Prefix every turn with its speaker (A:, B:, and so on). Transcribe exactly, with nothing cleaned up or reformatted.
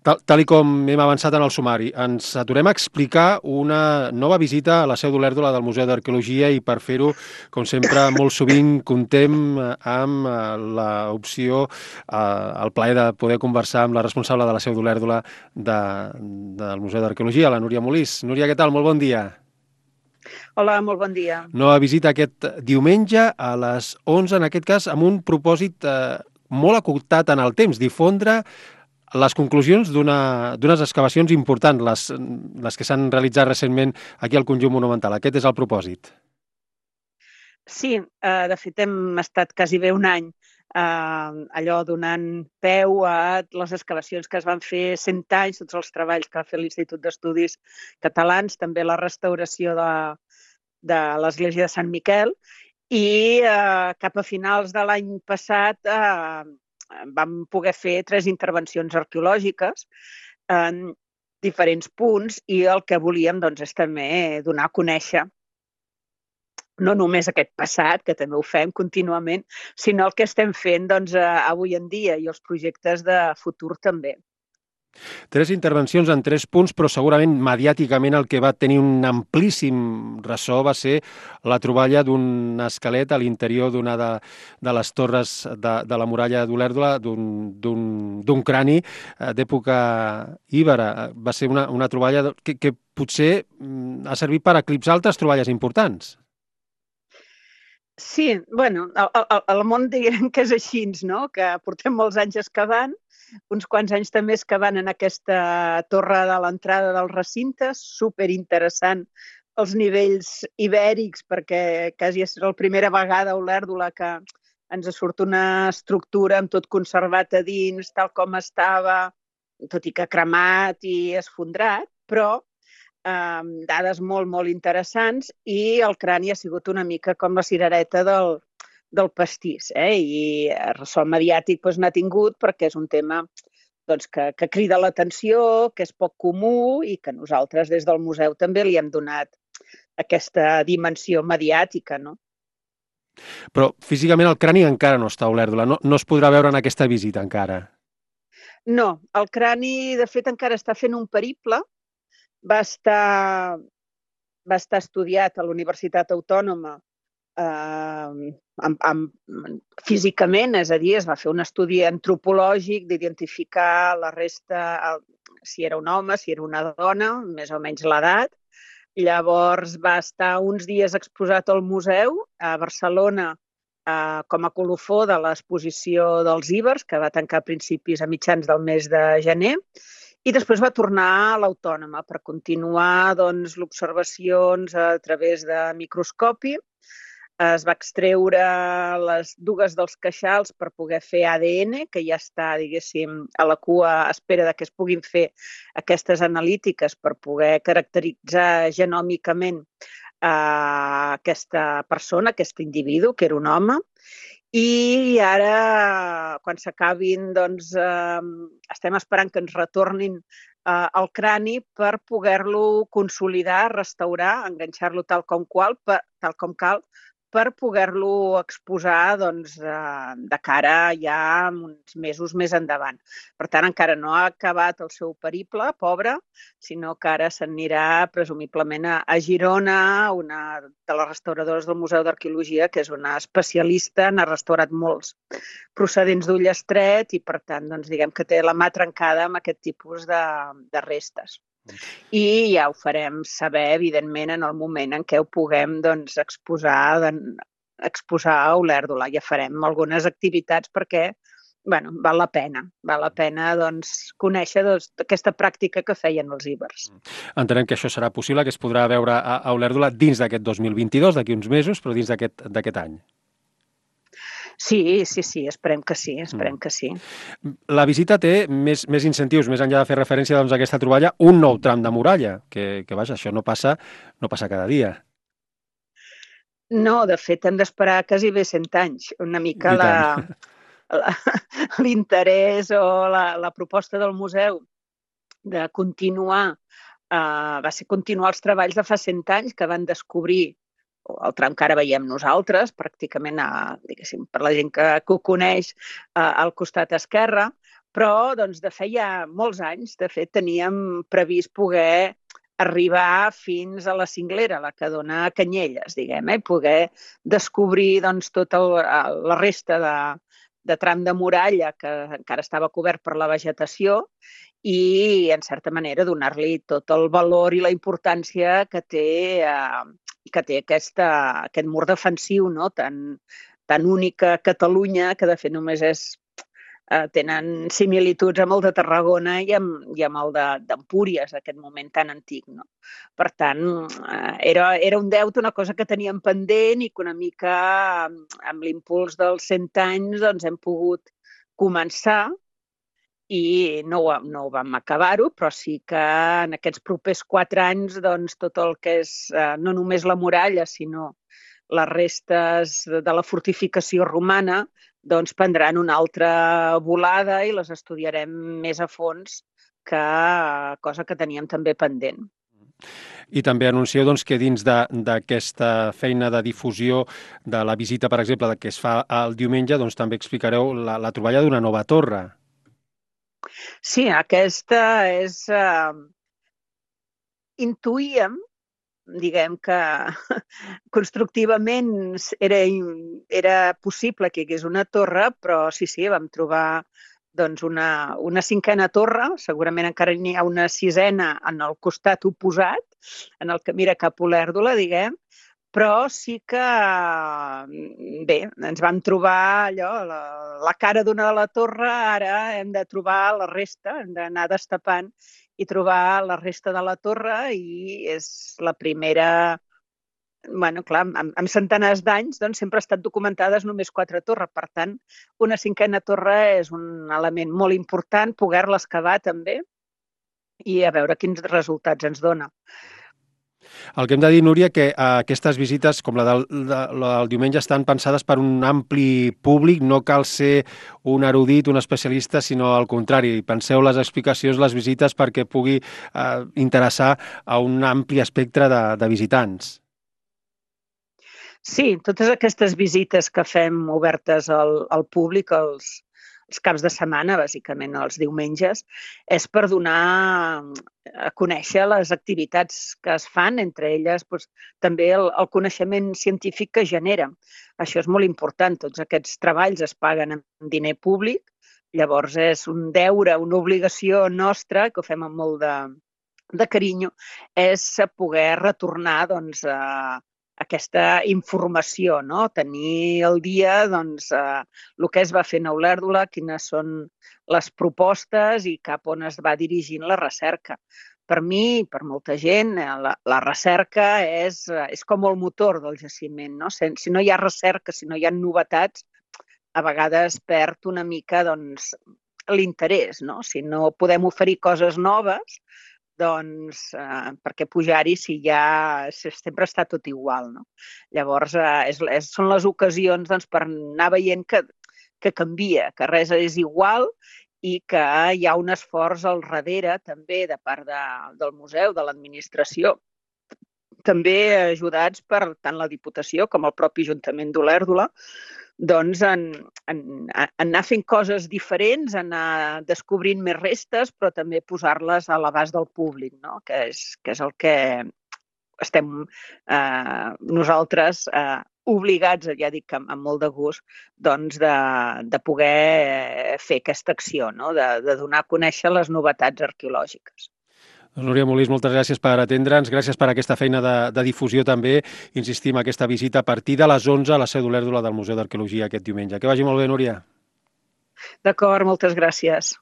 A: Tal, tal i com hem avançat en el sumari, ens aturem a explicar una nova visita a la Seu d'Olèrdola del Museu d'Arqueologia i per fer-ho, com sempre, molt sovint contem eh, amb eh, l'opció, eh, el plaer de poder conversar amb la responsable de la Seu d'Olèrdola de, del Museu d'Arqueologia, la Núria Molís. Núria, què tal? Molt bon dia.
B: Hola, molt bon dia.
A: Nova visita aquest diumenge a les onze, en aquest cas, amb un propòsit eh, molt acotat en el temps, difondre les conclusions d'una- d'unes excavacions importants, les, les que s'han realitzat recentment aquí al conjunt monumental. Aquest és el propòsit.
B: Sí, eh, de fet hem estat quasi bé un any eh, allò donant peu a les excavacions que es van fer cent anys, tots els treballs que va fer l'Institut d'Estudis Catalans, també la restauració de, de l'església de Sant Miquel i eh, cap a finals de l'any passat eh, vam poder fer tres intervencions arqueològiques en diferents punts i el que volíem doncs, és també donar a conèixer no només aquest passat, que també ho fem contínuament, sinó el que estem fent doncs, avui en dia i els projectes de futur també.
A: Tres intervencions en tres punts, però segurament mediàticament el que va tenir un amplíssim ressò va ser la troballa d'un esquelet a l'interior d'una de, de les torres de, de la muralla d'Olèrdola, d'un crani eh, d'època íbera. Va ser una, una troballa que, que potser mm, ha servit per eclipsar altres troballes importants.
B: Sí, bueno, el, el món diguem que és així, no? Que portem molts anys excavant, uns quants anys també excavant en aquesta torre de l'entrada del recinte, superinteressant els nivells ibèrics, perquè quasi és la primera vegada a Olèrdola que ens surt una estructura amb tot conservat a dins, tal com estava, tot i que cremat i esfondrat, però Um, dades molt, molt interessants i el crani ha sigut una mica com la cirereta del, del pastís. Eh? I ressò mediàtic doncs, n'ha tingut perquè és un tema doncs, que, que crida l'atenció, que és poc comú i que nosaltres des del museu també li hem donat aquesta dimensió mediàtica. No?
A: Però físicament el crani encara no està a Olèrdola, no, no es podrà veure en aquesta visita encara.
B: No, el crani de fet encara està fent un periple. Va estar, va estar estudiat a la Universitat Autònoma eh, amb, amb, físicament, és a dir, es va fer un estudi antropològic d'identificar la resta, el, si era un home, si era una dona, més o menys l'edat. Llavors va estar uns dies exposat al museu a Barcelona eh, com a colofó de l'exposició dels Ibers, que va tancar a principis a mitjans del mes de gener, i després va tornar a l'Autònoma per continuar doncs, l'observacions a través de microscopi. Es va extreure les dues dels queixals per poder fer A D N, que ja està, diguéssim, a la cua a espera de que es puguin fer aquestes analítiques per poder caracteritzar genòmicament eh, aquesta persona, aquest individu, que era un home. I ara, quan s'acabin, doncs, eh, estem esperant que ens retornin eh, el crani per poder-lo consolidar, restaurar, enganxar-lo tal com, qual, per, tal com cal, per poder-lo exposar doncs, eh, de cara ja uns mesos més endavant. Per tant, encara no ha acabat el seu periple, pobre, sinó que ara s'anirà presumiblement a, a Girona, una de les restauradores del Museu d'Arqueologia, que és una especialista, n'ha restaurat molts procedents d'Ullastret i, per tant, doncs, diguem que té la mà trencada amb aquest tipus de, de restes. I ja ho farem saber, evidentment, en el moment en què ho puguem doncs, exposar, exposar a Olèrdola. Ja farem algunes activitats perquè bueno, val la pena. Val la pena doncs, conèixer doncs, aquesta pràctica que feien els ibers.
A: Entenem que això serà possible, que es podrà veure a, a Olèrdola dins d'aquest dos mil vint-i-dos, d'aquí uns mesos, però dins d'aquest any.
B: Sí, sí, sí, esperem que sí, esperem mm. que sí.
A: La visita té més, més incentius, més enllà de fer referència doncs, a aquesta troballa, un nou tram de muralla, que, que vaja, això no passa, no passa cada dia.
B: No, de fet, hem d'esperar quasi bé cent anys. Una mica la, la, l'interès o la, la proposta del museu de continuar, eh, va ser continuar els treballs de fa cent anys que van descobrir el tram que ara veiem nosaltres, pràcticament a, diguéssim, per la gent que, que ho coneix, a, al costat esquerre, Però doncs, de feia molts anys, de fet, teníem previst poder arribar fins a la cinglera, la que dona a Canyelles, diguem, eh? Poder descobrir doncs, tota la resta de, de tram de muralla que encara estava cobert per la vegetació i, en certa manera, donar-li tot el valor i la importància que té, eh, que té aquesta, aquest mur defensiu, no? tan, tan únic a Catalunya, que de fet només és Eh, tenen similituds amb el de Tarragona i amb, i amb el d'Empúries, aquest moment tan antic. No? Per tant, eh, era, era un deute, una cosa que teníem pendent i que una mica amb, amb l'impuls dels cent anys doncs, hem pogut començar i no, no vam acabar-ho, però sí que en aquests propers quatre anys doncs, tot el que és eh, no només la muralla, sinó les restes de la fortificació romana doncs prendran una altra volada i les estudiarem més a fons, que cosa que teníem també pendent.
A: I també anuncieu doncs, que dins d'aquesta feina de difusió de la visita, per exemple, que es fa el diumenge, doncs, també explicareu la, la troballa d'una nova torre.
B: Sí, aquesta és... Eh, intuïem diguem que constructivament era, era possible que hi hagués una torre, però sí, sí, vam trobar doncs, una, una cinquena torre, segurament encara n'hi ha una sisena en el costat oposat, en el que mira cap a Olèrdola, diguem, però sí que, bé, ens vam trobar allò, la, la cara d'una de la torre, ara hem de trobar la resta, hem d'anar destapant i trobar la resta de la torre i és la primera... Bueno, clar, amb, amb centenars d'anys doncs, sempre ha estat documentades només quatre torres. Per tant, una cinquena torre és un element molt important, poder-la excavar també i a veure quins resultats ens dona.
A: El que hem de dir, Núria, que eh, aquestes visites, com la del, de, la del diumenge, estan pensades per un ampli públic, no cal ser un erudit, un especialista, sinó al contrari. Penseu les explicacions, les visites, perquè pugui eh, interessar a un ampli espectre de, de visitants.
B: Sí, totes aquestes visites que fem obertes al, al públic, els, els caps de setmana, bàsicament els diumenges, és per donar a conèixer les activitats que es fan, entre elles doncs, també el, el coneixement científic que genera. Això és molt important, tots aquests treballs es paguen amb diner públic, llavors és un deure, una obligació nostra, que ho fem amb molt de, de carinyo, és poder retornar doncs, a aquesta informació, no? Tenir al dia doncs, eh, el que es va fer a Olèrdola, quines són les propostes i cap on es va dirigint la recerca. Per mi, per molta gent, la, la recerca és, és com el motor del jaciment. No? Si, si no hi ha recerca, si no hi ha novetats, a vegades perd una mica doncs, l'interès. No? Si no podem oferir coses noves, doncs eh, per què pujar-hi si ja sempre està tot igual, no? Llavors, eh, és, és, són les ocasions doncs, per anar veient que, que canvia, que res és igual i que hi ha un esforç al darrere també de part de, del museu, de l'administració, també ajudats per tant la Diputació com el propi Ajuntament d'Olèrdola, doncs en, en, en anar fent coses diferents, anar descobrint més restes, però també posar-les a l'abast del públic, no? que, és, que és el que estem eh, nosaltres eh, obligats, ja dic amb, amb molt de gust, doncs de, de poder fer aquesta acció, no? de, de donar a conèixer les novetats arqueològiques.
A: Doncs Núria Molís, moltes gràcies per atendre'ns, gràcies per aquesta feina de, de difusió també. Insistim, aquesta visita a partir de les onze a la seu d'Olèrdola del Museu d'Arqueologia aquest diumenge. Que vagi molt bé, Núria.
B: D'acord, moltes gràcies.